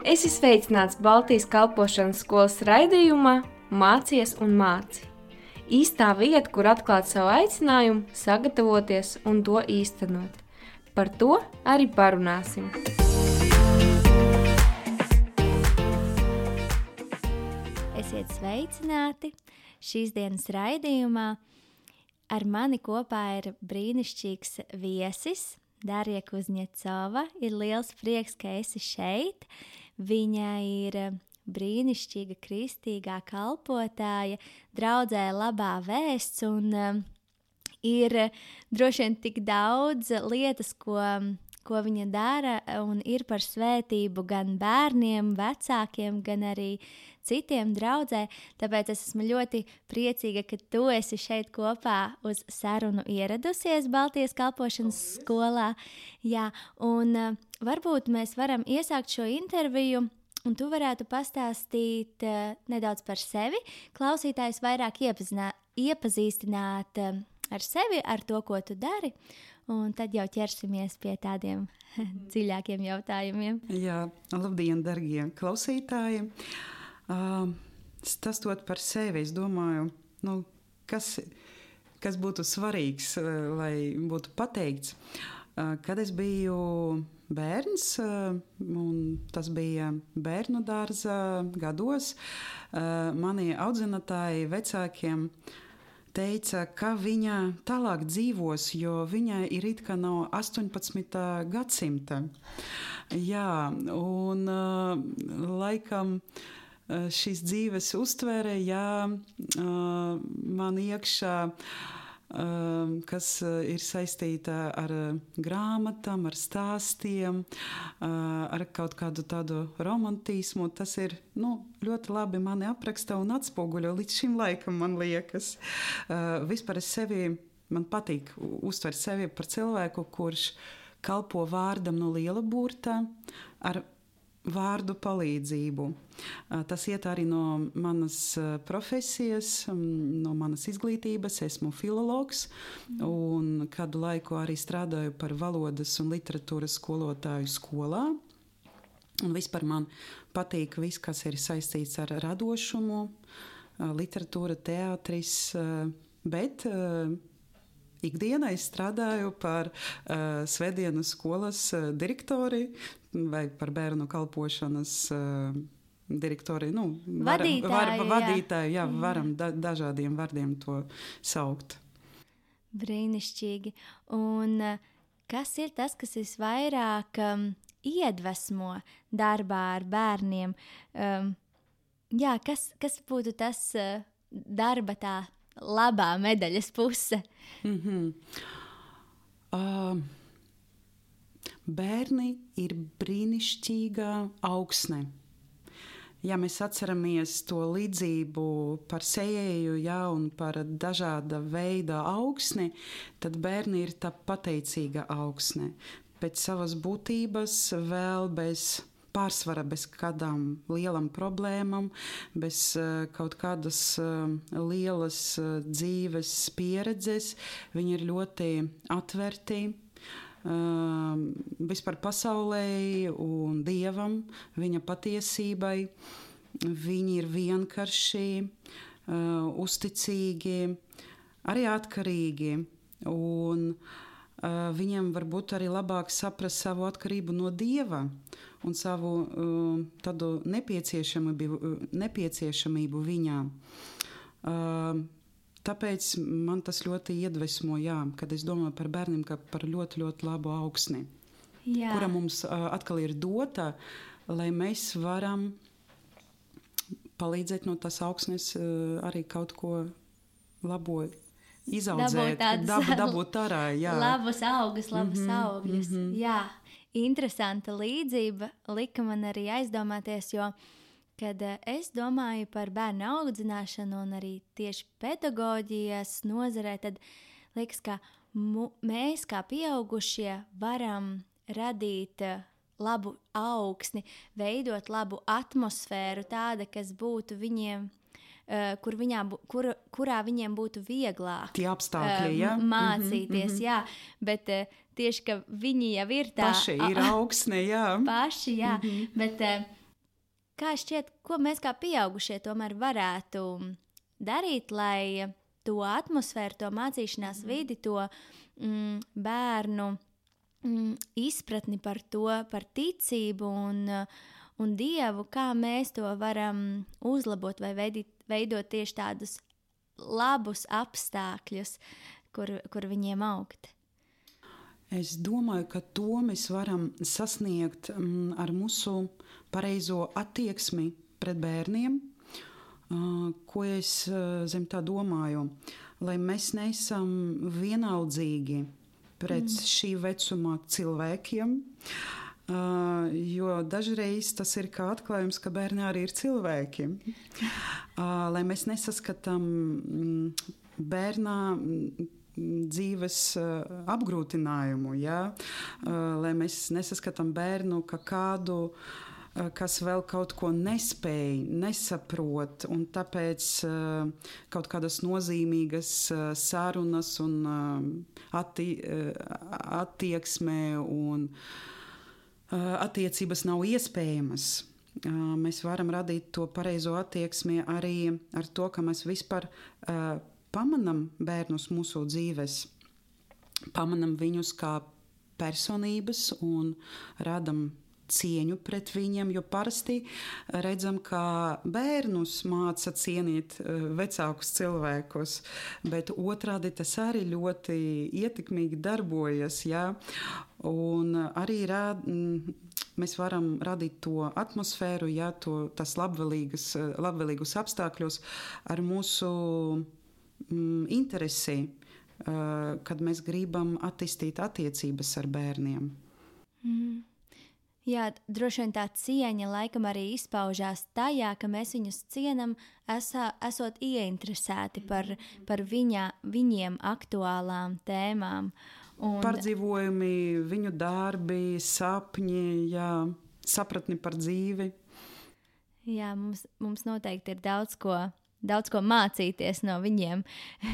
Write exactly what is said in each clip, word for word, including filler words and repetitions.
Esi sveicināts Baltijas kalpošanas skolas raidījumā Mācies un māci. Īstā vieta, kur atklāt savu aicinājumu, sagatavoties un to īstenot. Par to arī parunāsim. Esiet sveicināti šīs dienas raidījumā. Ar mani kopā ir brīnišķīgs viesis, Darija Kuzņecova. Ir liels prieks, ka esi šeit. Viņa ir brīnišķīga kristīgā kalpotāja, draudzē Labā vēsts, un um, ir droši vien tik daudz lietas, ko, ko viņa dara, un ir par svētību gan bērniem, vecākiem, gan arī citiem draudzē. Tāpēc es esmu ļoti priecīga, ka tu esi šeit kopā uz sarunu ieradusies Baltijas kalpošanas skolā. Jā, un uh, varbūt mēs varam iesākt šo interviju, un tu varētu pastāstīt uh, nedaudz par sevi, klausītājus vairāk iepazinā, iepazīstināt uh, ar sevi, ar to, ko tu dari, un tad jau ķersimies pie tādiem dziļākiem jautājumiem. Jā, labdien, dargie klausītāji! Uh, stāstot par sevi, es domāju, nu, kas, kas būtu svarīgs, uh, lai būtu pateikts. Uh, kad es biju bērns, uh, un tas bija bērnu dārza gados, uh, mani audzinātāji vecākiem teica, ka viņa tālāk dzīvos, jo viņai ir it kā no astoņpadsmitā gadsimta. Jā, un uh, laikam šīs dzīves uztvere, jā, man iekšā, kas ir saistīta ar grāmatām, ar stāstiem, ar kaut kādu tādu romantismu. Tas ir nu, ļoti labi mani apraksta un atspoguļo līdz šim laikam, man liekas. Vispār es sevi, man patīk uztvert sevi par cilvēku, kurš kalpo vārdam no liela burta ar vārdu palīdzību. Tas iet arī no manas profesijas, no manas izglītības. Esmu filologs un kādu laiku arī strādāju par valodas un literatūras skolotāju skolā. Un vispār man patīk viss, kas ir saistīts ar radošumu, literatūra, teātris, bet ikdienā es strādāju par uh, svētdienu skolas uh, direktori vai par bērnu kalpošanas uh, direktori. Nu, varam, vadītāju, var, vadītāju, jā, jā varam da, dažādiem vārdiem to saukt. Brīnišķīgi. Un uh, kas ir tas, kas visvairāk um, iedvesmo darbā ar bērniem? Um, jā, kas, kas būtu tas uh, darba tā labā medaļas puse? Mm-hmm. Uh, bērni ir brīnišķīga augsne. Ja mēs atceramies to līdzību par sējēju, ja, un par dažāda veida augsni, tad bērni ir tā pateicīga augsne. Pēc savas būtības vēl bez pārsvara, bez kādām lielam problēmām, bez uh, kaut kādas uh, lielas uh, dzīves pieredzes. Viņi ir ļoti atverti uh, vispār pasaulē un Dievam, viņa patiesībai. Viņi ir vienkārši, uh, uzticīgi, arī atkarīgi, un uh, viņiem varbūt arī labāk saprast savu atkarību no Dieva un savu uh, tādu nepieciešamību, nepieciešamību viņā. Uh, tāpēc man tas ļoti iedvesmo, jā, kad es domāju par bērniem, kā par ļoti, ļoti labu augsni, jā, kura mums uh, atkal ir dota, lai mēs varam palīdzēt no tās augsnes uh, arī kaut ko labo izaudzēt, dabūt, dabūt ārā, jā. Labus augus, labus mm-hmm, augļus, mm-hmm. jā. Interesanta līdzība lika man arī aizdomāties, jo, kad es domāju par bērnu audzināšanu un arī tieši pedagoģijas nozarē, tad liekas, ka mu, mēs kā pieaugušie varam radīt labu augsni, veidot labu atmosfēru, tāda, kas būtu viņiem, uh, kur viņā, kur, kurā viņiem būtu vieglāk tie apstākļi, uh, ja? mācīties, mm-hmm. jā, bet uh, tieši, ka viņi jau ir tā... Paši ir augsne, jā. Paši, jā, mm-hmm. bet uh, kā šķiet, ko mēs kā pieaugušie tomēr varētu darīt, lai to atmosfēru, to mācīšanās vidi, to mm, bērnu mm, izpratni par to, par ticību un, un Dievu, kā mēs to varam uzlabot vai veidīt, veidot tieši tādus labus apstākļus, kur, kur viņiem augt. Es domāju, ka to mēs varam sasniegt mm, ar mūsu pareizo attieksmi pret bērniem. Uh, ko es uh, zem tā domāju? Lai mēs neesam vienaldzīgi pret mm. šī vecuma cilvēkiem, uh, jo dažreiz tas ir kā atklājums, ka bērni arī ir cilvēki. Uh, lai mēs nesaskatām mm, bērnā mm, dzīves uh, apgrūtinājumu, ja? uh, lai mēs nesaskatām bērnu kā kādu, uh, kas vēl kaut ko nespēj, nesaprot, un tāpēc uh, kaut kādas nozīmīgas uh, sarunas un uh, atti, uh, attieksme un uh, attiecības nav iespējamas. Uh, mēs varam radīt to pareizo attieksmi arī ar to, ka mēs vispār uh, pamanam bērnus mūsu dzīves, pamanam viņus kā personības un radam cieņu pret viņiem, jo parasti redzam, ka bērnus māca cienīt vecākus cilvēkus, bet otrādi tas arī ļoti ietekmīgi darbojas, ja? Un arī rād, mēs varam radīt to atmosfēru, ja, to, tas labvēlīgus, labvēlīgus apstākļus ar mūsu interesi, kad mēs gribam attīstīt attiecības ar bērniem. Mm. Jā, droši vien tā cieņa laikam arī izpaužās tajā, ka mēs viņus cienam, esā, esot ieinteresēti par, par viņa, viņiem aktuālām tēmām. Un... Pārdzīvojumi, viņu darbi, sapņi, jā, sapratni par dzīvi. Jā, mums, mums noteikti ir daudz ko daudz ko mācīties no viņiem.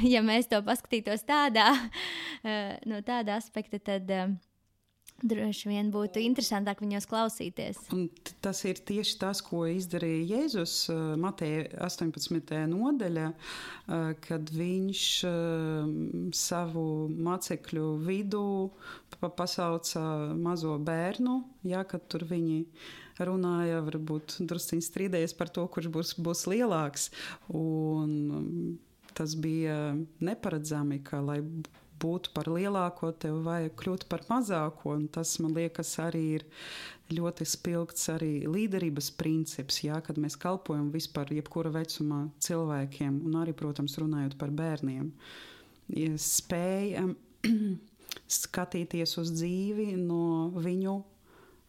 Ja mēs to paskatītos tādā, no tāda aspekta, tad droši vien būtu interesantāk viņos klausīties. Un tas ir tieši tas, ko izdarīja Jēzus Mateja astoņpadsmitajā nodaļā, kad viņš savu mācekļu vidū pasauca mazo bērnu, jā, kad tur viņi runāja, varbūt drusciņi strīdējies par to, kurš būs, būs lielāks. Un tas bija neparedzami, ka, lai būtu par lielāko, tev vajag kļūt par mazāko. Un tas, man liekas, arī ir ļoti spilgts arī līderības princips, jā, kad mēs kalpojam vispār jebkura vecuma cilvēkiem, un arī, protams, runājot par bērniem. Ja spējam skatīties uz dzīvi no viņu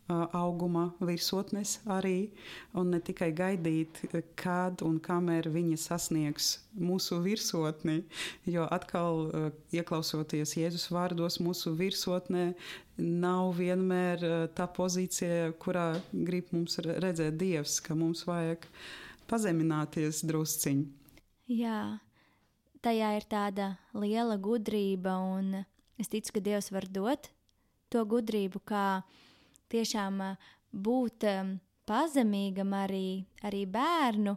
auguma virsotnes arī, un ne tikai gaidīt, kad un kamēr viņi sasniegs mūsu virsotni, jo atkal ieklausoties Jēzus vārdos, mūsu virsotnē nav vienmēr tā pozīcija, kurā grib mums redzēt Dievs, ka mums vajag pazemināties drusciņi. Jā, tajā ir tāda liela gudrība, un es ticu, ka Dievs var dot to gudrību, kā tiešām būt pazemīgam arī, arī bērnu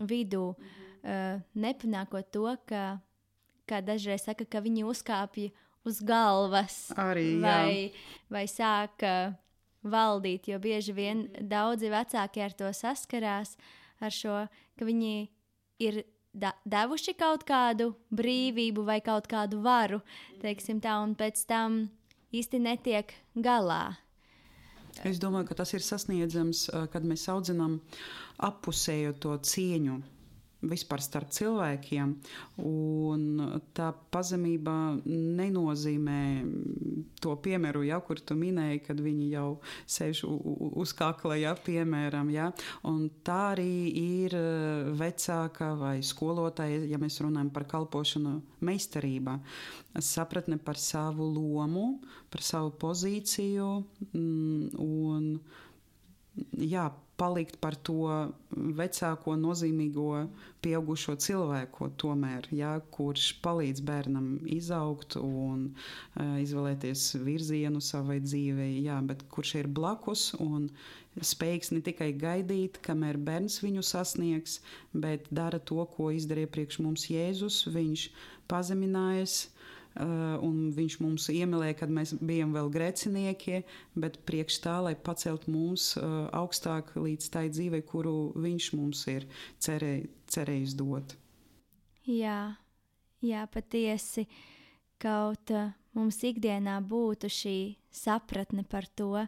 vidū, mm-hmm. nepanākot to, ka, kā dažreiz saka, ka viņi uzkāpja uz galvas arī, vai, vai sāka valdīt, jo bieži vien daudzi vecāki ar to saskarās, ar šo, ka viņi ir da- devuši kaut kādu brīvību vai kaut kādu varu, teiksim tā, un pēc tam īsti netiek galā. Es domāju, ka tas ir sasniedzams, kad mēs audzinām appusējo to cieņu vispār starp cilvēkiem, un tā pazemība nenozīmē to piemēru, ja, kur tu minēji, kad viņi jau sēž uz kakla, ja, piemēram, ja, un tā arī ir vecāka vai skolotāja, ja mēs runājam par kalpošanu meistarībā, sapratne par savu lomu, par savu pozīciju, un jā, palikt par to vecāko nozīmīgo pieaugušo cilvēku tomēr, jā, kurš palīdz bērnam izaugt un uh, izvēlēties virzienu savai dzīvei, jā, bet kurš ir blakus un spējīgs ne tikai gaidīt, kamēr bērns viņu sasniegs, bet dara to, ko izdarīja priekš mums Jēzus. Viņš pazeminājas, Uh, un viņš mums iemīlēja, kad mēs bijām vēl grēcinieki, bet priekš tā, lai pacelt mūs uh, augstāk līdz tai dzīvei, kuru viņš mums ir cerē, cerējis dot. Jā, jā, patiesi, kaut uh, mums ikdienā būtu šī sapratne par to,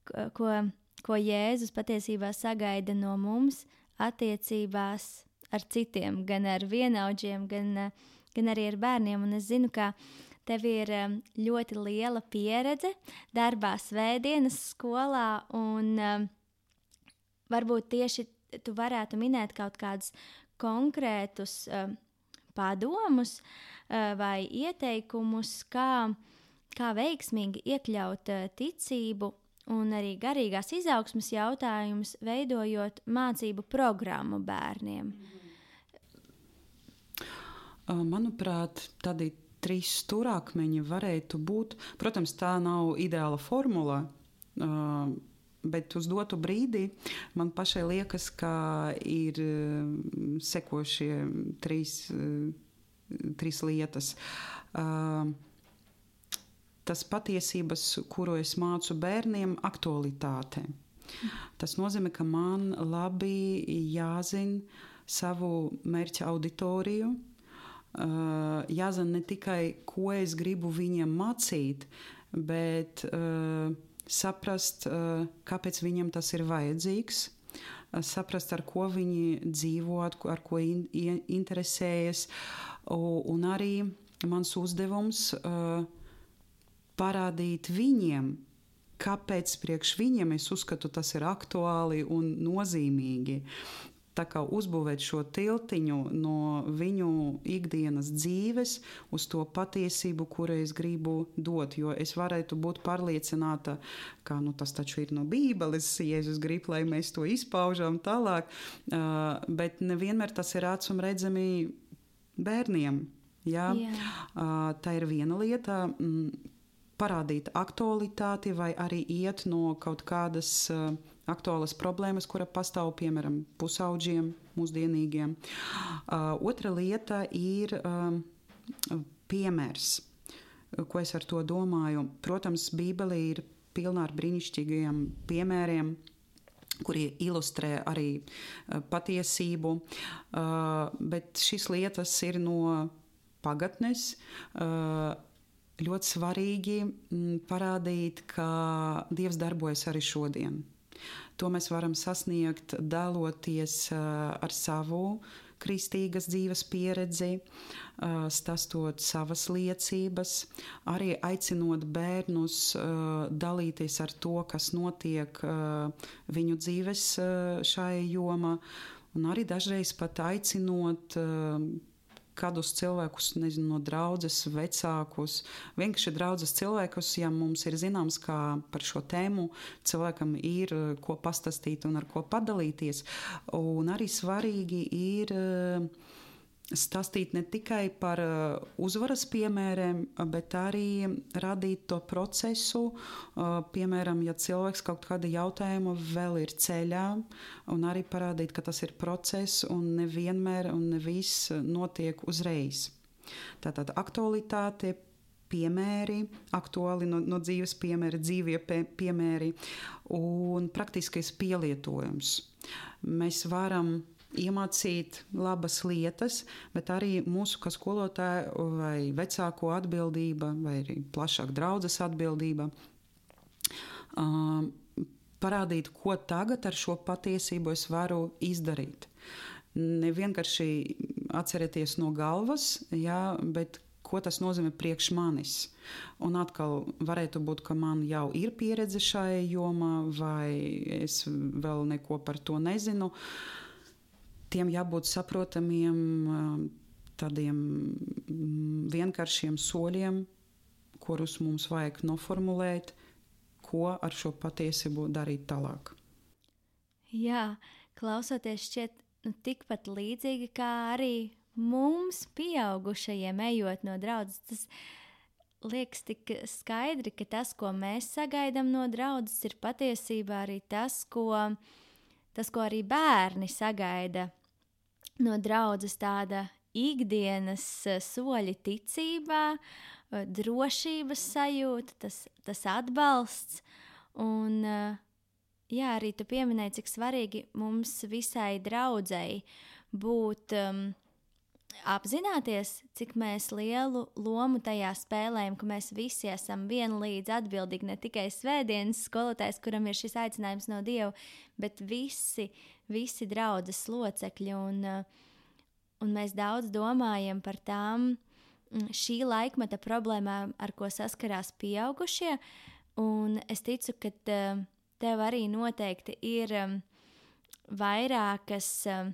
ko, ko Jēzus patiesībā sagaida no mums attiecībās ar citiem, gan ar vienaudžiem, gan uh, gan arī ar bērniem, un es zinu, ka tev ir um, ļoti liela pieredze darbā svētdienas skolā, un um, varbūt tieši tu varētu minēt kaut kādus konkrētus um, padomus uh, vai ieteikumus, kā, kā veiksmīgi iekļaut uh, ticību un arī garīgās izaugsmes jautājumus, veidojot mācību programmu bērniem. Manuprāt, tādi trīs stūrakmeņi varētu būt. Protams, tā nav ideāla formula, bet uz dotu brīdī man pašai liekas, ka ir sekošie trīs, trīs lietas. Tas patiesības, kuru es mācu bērniem, aktualitāte. Tas nozīmē, ka man labi jāzina savu mērķa auditoriju, Uh, jāzina ne tikai, ko es gribu viņiem mācīt, bet uh, saprast, uh, kāpēc viņiem tas ir vajadzīgs, uh, saprast, ar ko viņi dzīvo, ar ko in, in, interesējas, uh, un arī mans uzdevums uh, parādīt viņiem, kāpēc priekš viņiem es uzskatu, tas ir aktuāli un nozīmīgi. Tā kā uzbūvēt šo tiltiņu no viņu ikdienas dzīves uz to patiesību, kuru es gribu dot, jo es varētu būt pārliecināta, ka nu, tas taču ir no Bībeles, Jēzus grib, lai mēs to izpaužam tālāk, uh, bet nevienmēr tas ir acīm redzami bērniem. Jā? Yeah. Uh, tā ir viena lieta. Mm, parādīt aktualitāti vai arī iet no kaut kādas uh, aktuālas problēmas, kura pastāv, piemēram, pusaudžiem, mūsdienīgiem. Uh, otra lieta ir uh, piemērs. Ko es ar to domāju? Protams, Bībele ir pilna ar brīnišķīgiem piemēriem, kuri ilustrē arī uh, patiesību, uh, bet šīs lietas ir no pagatnes. Uh, Ļoti svarīgi parādīt, ka Dievs darbojas arī šodien. To mēs varam sasniegt, daloties ar savu kristīgas dzīves pieredzi, stāstot savas liecības, arī aicinot bērnus dalīties ar to, kas notiek viņu dzīves šai jomā, un arī dažreiz pat aicinot kādus cilvēkus, nezinu, no draudzes, vecākus, vienkārši draudzes cilvēkus, ja mums ir zināms, kā par šo tēmu cilvēkam ir ko pastāstīt un ar ko padalīties. Un arī svarīgi ir stāstīt ne tikai par uzvaras piemēriem, bet arī radīt to procesu. Piemēram, ja cilvēks kaut kāda jautājuma vēl ir ceļā, un arī parādīt, ka tas ir process un nevienmēr un ne viss notiek uzreiz. Tātad aktualitāte, piemēri, aktuāli no, no dzīves piemēri, dzīvie piemēri un praktiskais pielietojums. Mēs varam iemācīt labas lietas, bet arī mūsu kā skolotāju vai vecāko atbildība, vai arī plašāk draudzes atbildība, uh, parādīt, ko tagad ar šo patiesību es varu izdarīt. Ne vienkārši atcerēties no galvas, jā, bet ko tas nozīmē priekš manis. Un atkal varētu būt, ka man jau ir pieredze šai jomā, vai es vēl neko par to nezinu. Tiem jābūt saprotamiem, tādiem vienkāršiem soļiem, kurus mums vajag noformulēt, ko ar šo patiesību darīt tālāk. Jā, klausoties šķiet nu, tikpat līdzīgi kā arī mums, pieaugušajiem, ejot no draudzes. Tas liekas tik skaidri, ka tas, ko mēs sagaidām no draudzes, ir patiesībā arī tas, ko, tas, ko arī bērni sagaida no draudzes, tāda ikdienas soļi ticībā, drošības sajūta, tas, tas atbalsts. Un, jā, arī tu pieminēji, cik svarīgi mums visai draudzei būt um, apzināties, cik mēs lielu lomu tajā spēlējam, ka mēs visi esam vienlīdz atbildīgi, ne tikai svētdienas skolotājs, kuram ir šis aicinājums no Dieva, bet visi, visi draudzes locekļi. Un, un mēs daudz domājam par tām šī laikmeta problēmām, ar ko saskarās pieaugušie. Un es ticu, ka tev arī noteikti ir um, vairākas um,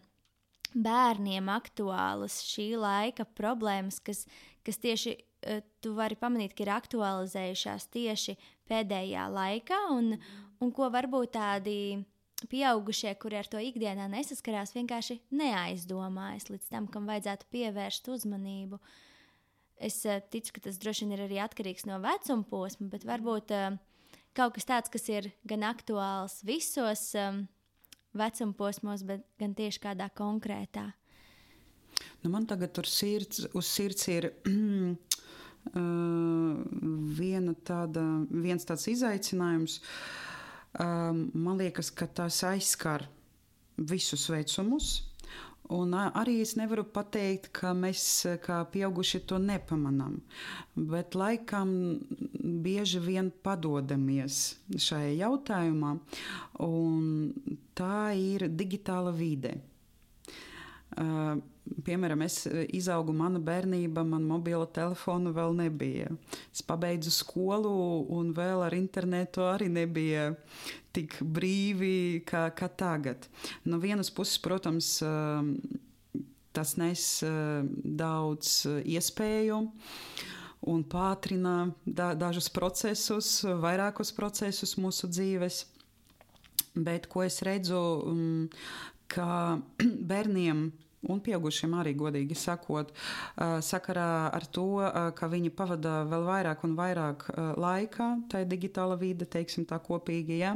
bērniem aktuālas šī laika problēmas, kas, kas tieši uh, tu vari pamanīt, ka ir aktualizējušās tieši pēdējā laikā, un, un ko varbūt tādi pieaugušie, kuri ar to ikdienā nesaskarās, vienkārši neaizdomājas līdz tam, kam vajadzētu pievērst uzmanību. Es uh, ticu, ka tas droši vien ir arī atkarīgs no vecuma posma, bet varbūt uh, kaut kas tāds, kas ir gan aktuāls visos um, vecuma posmos, bet gan tieši kādā konkrētā. Nu, man tagad tur sirds, uz sirds ir uh, viena tāda, viens tāds izaicinājums. Uh, man liekas, ka tas aizskar visus vecumus. Un arī es nevaru pateikt, ka mēs kā pieauguši to nepamanām, bet laikam bieži vien padodamies šajā jautājumā, un tā ir digitāla vide. Uh, piemēram, es izaugu mana bērnība, man mobila telefona vēl nebija. Es pabeidzu skolu un vēl ar internetu arī nebija tik brīvi kā, kā tagad. No vienas puses, protams, uh, tas nes uh, daudz iespēju un pātrina da, dažus procesus, vairākus procesus mūsu dzīves. Bet ko es redzu, um, ka bērniem un pieaugušiem arī, godīgi sakot, sakarā ar to, ka viņi pavada vēl vairāk un vairāk laika, tā ir digitāla vide, teiksim tā kopīgi, ja,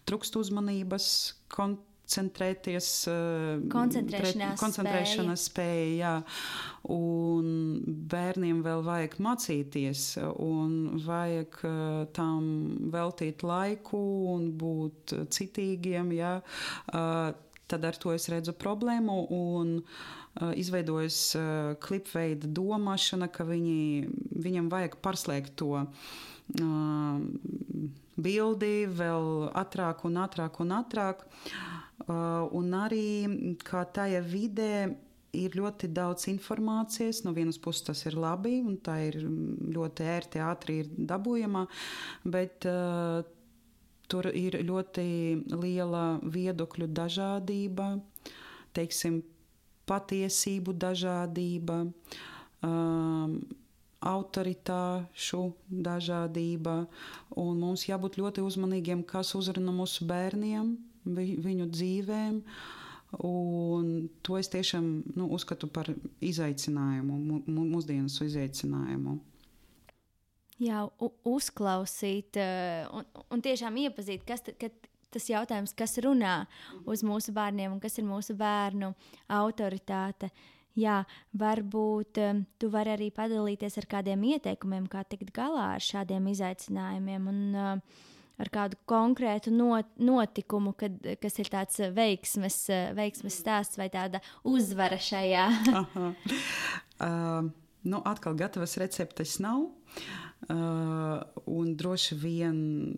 trūkst uzmanības, koncentrēties, koncentrēšanās, koncentrēšanās spēja, jā, un bērniem vēl vajag mācīties, un vajag tam veltīt laiku un būt citīgiem, jā, tad ar to es redzu problēmu un uh, izveidojas uh, klipveida domāšana, ka viņi, viņam vajag pārslēgt to uh, bildi vēl ātrāk un ātrāk un ātrāk. Uh, un arī, kā tajā vidē ir ļoti daudz informācijas, no vienas puses tas ir labi un tā ir ļoti ērti, ātri ir dabūjama, bet uh, tur ir ļoti liela viedokļu dažādība, teiksim, patiesību dažādība, um, autoritāšu dažādība, un mums jābūt ļoti uzmanīgiem, kas uzrunā mūsu bērniem, vi, viņu dzīvēm, un to es tiešām nu, uzskatu par izaicinājumu, mūsdienas izaicinājumu. Jā, uzklausīt un, un tiešām iepazīt, kas t, ka tas jautājums, kas runā uz mūsu bērniem un kas ir mūsu bērnu autoritāte. Jā, varbūt tu vari arī padalīties ar kādiem ieteikumiem, kā tikt galā ar šādiem izaicinājumiem un ar kādu konkrētu not, notikumu, kad, kas ir tāds veiksmes, veiksmes stāsts vai tāda uzvara šajā. Aha. Uh, nu, atkal gatavas receptes nav. Uh, un droši vien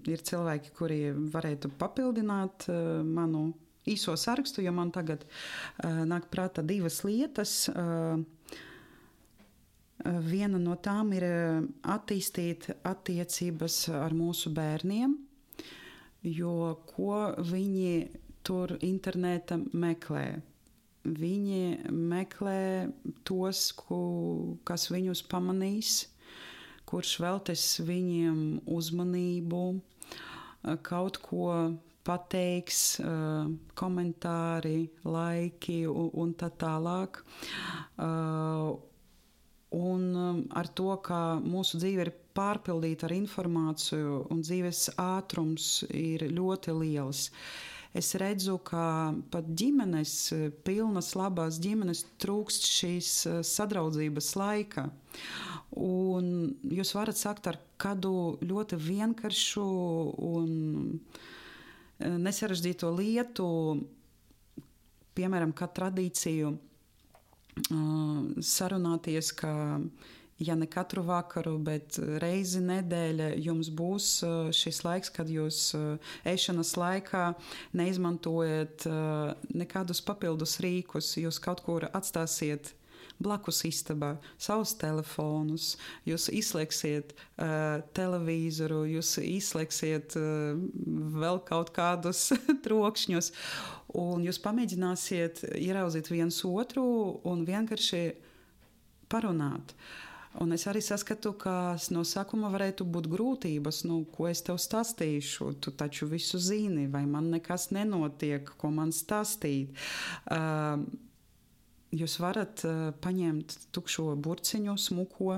ir cilvēki, kuri varētu papildināt uh, manu īso sarakstu, jo man tagad uh, nāk prātā divas lietas. Uh, viena no tām ir attīstīt attiecības ar mūsu bērniem, jo ko viņi tur interneta meklē? Viņi meklē tos, ku, kas viņus pamanīs, kurš veltīs viņiem uzmanību, kaut ko pateiks, uh, komentāri, laiki un, un tā tālāk. Uh, un um, ar to, ka mūsu dzīve ir pārpildīta ar informāciju un dzīves ātrums ir ļoti liels. Es redzu, ka pat ģimenes, pilnas, labās ģimenes trūkst šīs sadraudzības laika. Un jūs varat sākt ar kādu ļoti vienkāršu un nesarežģīto lietu, piemēram, kā tradīciju sarunāties, ka ja ne katru vakaru, bet reizi nedēļa jums būs šis laiks, kad jūs ēšanas laikā neizmantojat nekādus papildus rīkus, jūs kaut kur atstāsiet blakus istabā savus telefonus, jūs izslēgsiet uh, televizoru, jūs izslēgsiet uh, vēl kaut kādus trokšņus, un jūs pamēģināsiet ieraudzīt viens otru un vienkārši parunāt. Un es arī saskatu, ka no sākuma varētu būt grūtības, nu, ko es tev stāstīšu, tu taču visu zini, vai man nekas nenotiek, ko man stāstīt. Uh, Jūs varat uh, paņemt tukšo burciņu, smuko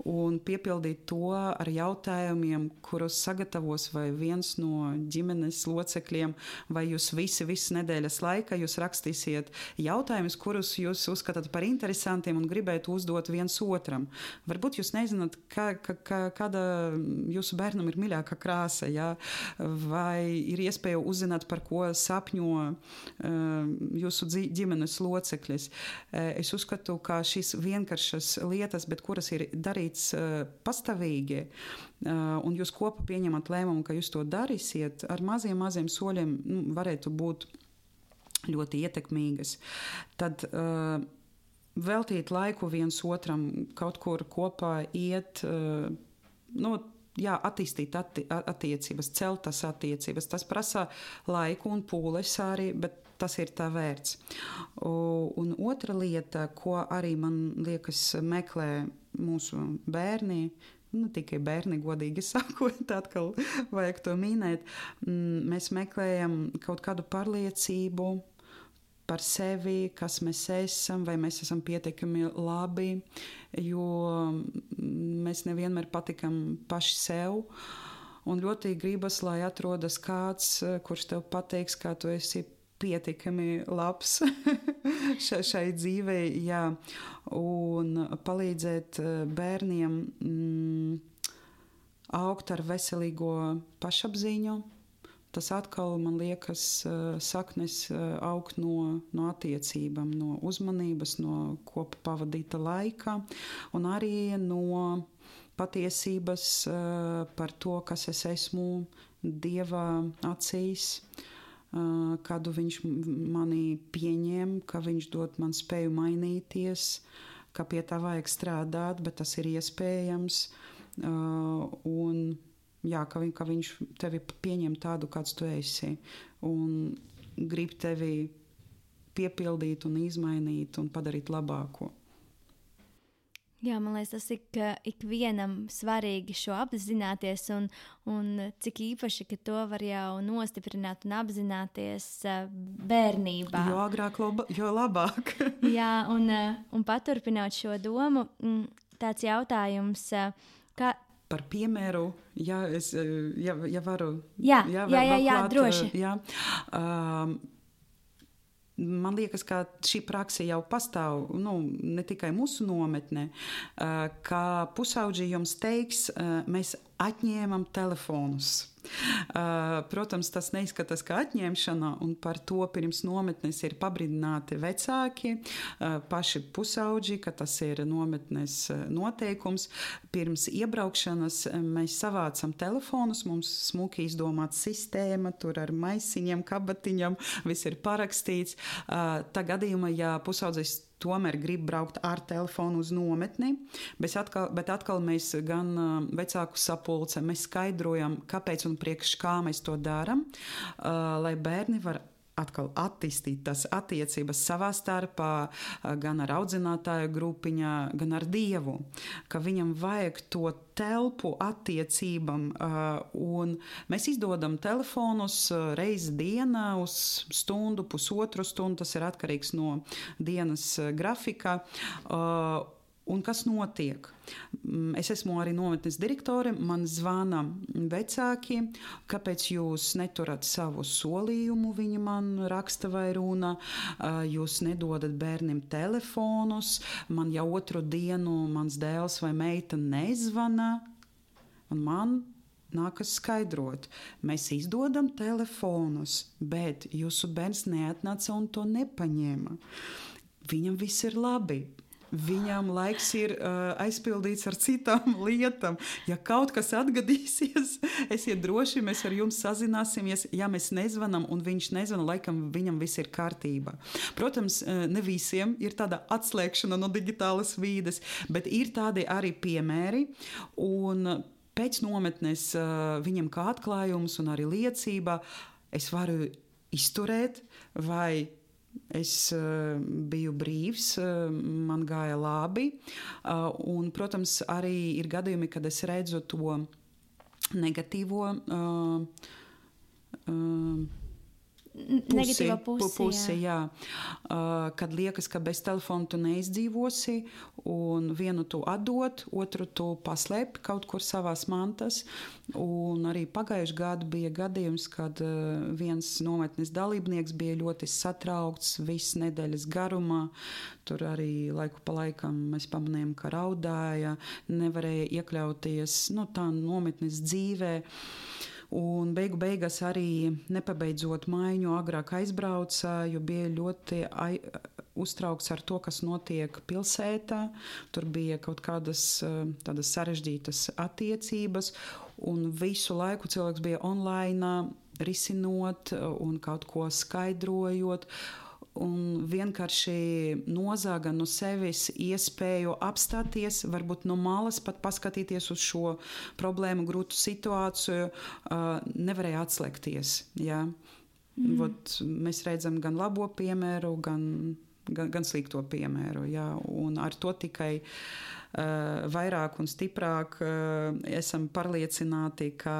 un piepildīt to ar jautājumiem, kurus sagatavos vai viens no ģimenes locekļiem, vai jūs visi, visas nedēļas laikā jūs rakstīsiet jautājumus, kurus jūs uzskatāt par interesantiem un gribētu uzdot viens otram. Varbūt jūs nezināt, kā, kā, kāda jūsu bērnam ir mīļākā krāsa, ja? Vai ir iespēja uzzināt, par ko sapņo uh, jūsu ģimenes locekļus. Es uzskatu, ka šīs vienkāršas lietas, bet kuras ir darīts uh, pastāvīgi, uh, un jūs kopā pieņemat lēmumu, ka jūs to darīsiet, ar maziem, maziem soļiem nu, varētu būt ļoti ietekmīgas. Tad uh, veltīt laiku viens otram, kaut kur kopā iet, uh, nu, jā, attīstīt atti, attiecības, celt tas attiecības. Tas prasa laiku un pūles arī, bet tas ir tā vērts. Un otra lieta, ko arī man liekas meklē mūsu bērni, ne tikai bērni, godīgi sakot, atkal vajag to minēt, mēs meklējam kaut kādu pārliecību par sevi, kas mēs esam, vai mēs esam pietiekami labi, jo mēs nevienmēr patikam paši sev. Un ļoti gribas, lai atrodas kāds, kurš tev pateiks, kā tu esi pietiekami labs šai dzīvei, jā, un palīdzēt bērniem mm, augt ar veselīgo pašapziņu. Tas atkal, man liekas, saknes augt no, no attiecībām, no uzmanības, no kopā pavadīta laika un arī no patiesības par to, kas es esmu Dieva acīs, kādu viņš mani pieņem, ka viņš dod man spēju mainīties, ka pie tā vajag strādāt, bet tas ir iespējams. Un jā, ka, viņ, ka viņš tevi pieņem tādu, kāds tu esi, un grib tevi piepildīt un izmainīt un padarīt labāko. Jā, man liekas, tas ik, ikvienam svarīgi šo apzināties, un, un cik īpaši, ka to var jau nostiprināt un apzināties bērnībā. Jo agrāk, jo labāk. Jā, un, un paturpinot šo domu, tāds jautājums, kā... Par piemēru, ja, es, ja, ja varu... Jā, jā, jā, jā, jā droši. Jā, um, man liekas, ka šī praksa jau pastāv, nu, ne tikai mūsu nometnē, ka pusaudži jums teiks, mēs atņēmam telefonus. Protams, tas neizskatās kā atņemšana, un par to pirms nometnes ir pabrīdināti vecāki, paši pusaudži, ka tas ir nometnes noteikums. Pirms iebraukšanas mēs savācam telefonus, mums smuki izdomāta sistēma, tur ar maisiņiem, kabatiņam, viss ir parakstīts. Tā gadījumā, ja pusaudzis tomēr grib braukt ar telefonu uz nometni, bet atkal, bet atkal mēs gan uh, vecāku sapulce, mēs skaidrojam, kāpēc un priekš kā mēs to darām, uh, lai bērni var atkal attīstīt tās attiecības savā starpā, gan ar audzinātāju grupiņā, gan ar Dievu, ka viņam vajag to telpu attiecībam, un mēs izdodam telefonus reizi dienā uz stundu, pusotru stundu, tas ir atkarīgs no dienas grafika. Un kas notiek? Es esmu arī nometnes direktore, man zvana vecāki, kāpēc jūs neturat savu solījumu, viņi man raksta vai runa, jūs nedodat bērniem telefonus, man jau otru dienu mans dēls vai meita nezvana, un man nākas skaidrot, mēs izdodam telefonus, bet jūsu bērns neatnāca un to nepaņēma. Viņam viss ir labi. Viņam laiks ir uh, aizpildīts ar citām lietām. Ja kaut kas atgadīsies, esiet droši, mēs ar jums sazināsimies. Ja mēs nezvanam un viņš nezvana, laikam viņam viss ir kārtībā. Protams, ne visiem ir tāda atslēgšana no digitālas vīdes, bet ir tādi arī piemēri. Un pēc nometnes uh, viņam kā atklājums un arī liecība es varu izturēt vai es uh, biju brīvs, uh, man gāja labi, uh, un, protams, arī ir gadījumi, kad es redzu to negatīvo uh, uh, pusi, negatīvo pusi, pusi jā. jā. Uh, kad liekas, ka bez telefona tu neizdzīvosi, un vienu tu atdot, otru tu paslēpi kaut kur savās mantas. Un arī pagājuši gadu bija gadījums, kad uh, viens nometnes dalībnieks bija ļoti satraukts viss nedēļas garumā. Tur arī laiku pa laikam mēs pamanījām, ka raudāja, nevarēja iekļauties nu, tā nometnes dzīvē. Un beigu beigās arī nepabeidzot maiņu agrāk aizbrauca, jo bija ļoti ai, uztraukts ar to, kas notiek pilsētā. Tur bija kaut kādas tādas sarežģītas attiecības, un visu laiku cilvēks bija online, risinot un kaut ko skaidrojot. Un vienkārši nozāga no sevis iespēju apstāties, varbūt no malas pat paskatīties uz šo problēmu, grūtu situāciju, nevarēja atslēgties. Ja? Mm. Vot, mēs redzam gan labo piemēru, gan, gan, gan slikto piemēru. Ja? Un ar to tikai uh, vairāk un stiprāk uh, esam pārliecināti, ka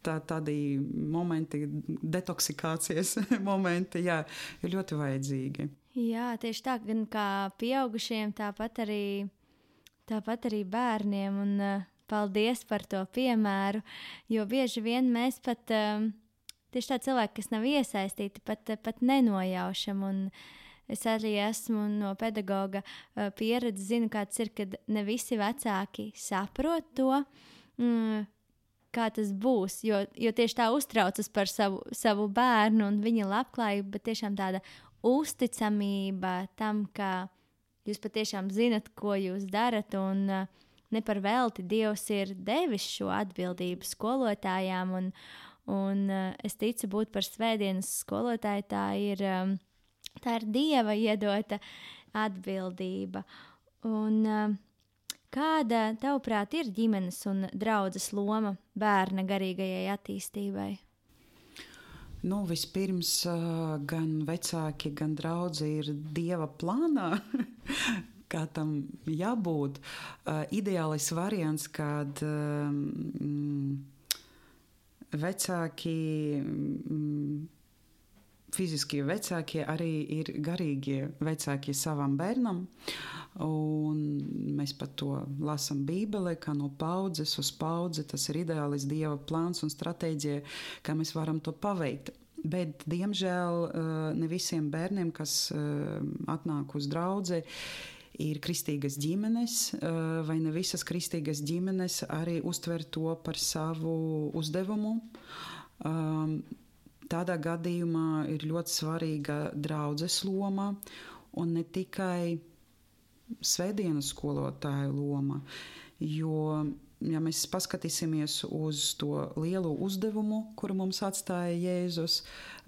Tā, tādi momenti, detoksikācijas momenti, jā, ir ļoti vajadzīgi. Jā, tieši tā, gan kā pieaugušiem, tāpat arī, tāpat arī bērniem. Un, uh, paldies par to piemēru, jo bieži vien mēs pat, uh, tieši tā cilvēki, kas nav iesaistīti, pat, pat nenojaušam. Un es arī esmu no pedagoga uh, pieredzes, zinu, kāds ir, kad ne visi vecāki saprot to, mm, kā tas būs, jo, jo tieši tā uztraucas par savu, savu bērnu un viņa labklājību, bet tiešām tāda uzticamība tam, ka jūs patiešām zinat, ko jūs darat, un uh, ne par velti Dievs ir devis šo atbildību skolotājām, un, un uh, es ticu būt par svētdienas skolotāju, tā ir, um, tā ir Dieva iedota atbildība. Un uh, kāda, tavuprāt, ir ģimenes un draudzes loma bērna garīgajai attīstībai? Nu, vispirms gan vecāki, gan draudzi ir Dieva plānā, kā tam jābūt. Ideālais variants, kad mm, vecāki, mm, fiziskie vecākie arī ir garīgie vecāki savam bērnam. Un mēs par to lasām Bībelē, kā no paudzes uz paudzi. Tas ir ideālis Dieva plāns un stratēģija, kā mēs varam to paveikt. Bet, diemžēl, ne visiem bērniem, kas atnāk uz draudzi, ir kristīgas ģimenes, vai ne visas kristīgas ģimenes arī uztver to par savu uzdevumu. Tādā gadījumā ir ļoti svarīga draudzes loma un ne tikai svētdienas skolotāja loma, jo, ja mēs paskatīsimies uz to lielo uzdevumu, kuru mums atstāja Jēzus,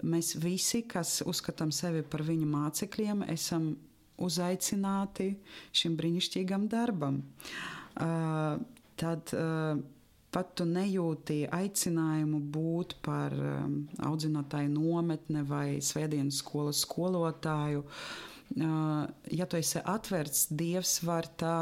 mēs visi, kas uzskatām sevi par viņa mācekļiem, esam uzaicināti šim brīnišķīgam darbam. Uh, tad uh, pat tu nejūti aicinājumu būt par um, audzinātāju nometne vai svētdienas skolas skolotāju. Uh, ja tu esi atverts, Dievs var tā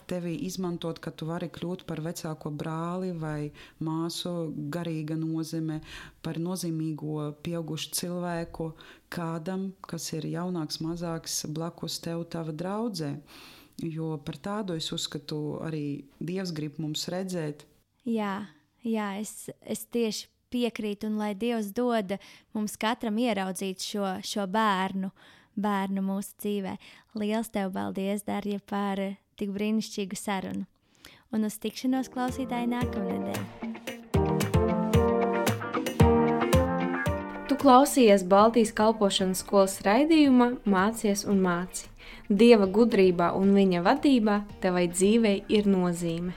tevi izmantot, ka tu vari kļūt par vecāko brāli vai māsu garīga nozīme, par nozīmīgo pieaugušu cilvēku kādam, kas ir jaunāks, mazāks, blakus tev tava draudzē. Jo par tādu es uzskatu arī Dievs grib mums redzēt. Jā, jā es, es tieši piekrītu, un lai Dievs dod mums katram ieraudzīt šo, šo bērnu, bērnu mūsu dzīvē. Liels tev paldies, Darja, par tik brīnišķīgu sarunu. Un uz tikšanos klausītāji nākamnedēļ. Tu klausījies Baltijas kalpošanas skolas raidījuma Mācies un māci. Dieva gudrībā un viņa vadībā tevai dzīvei ir nozīme.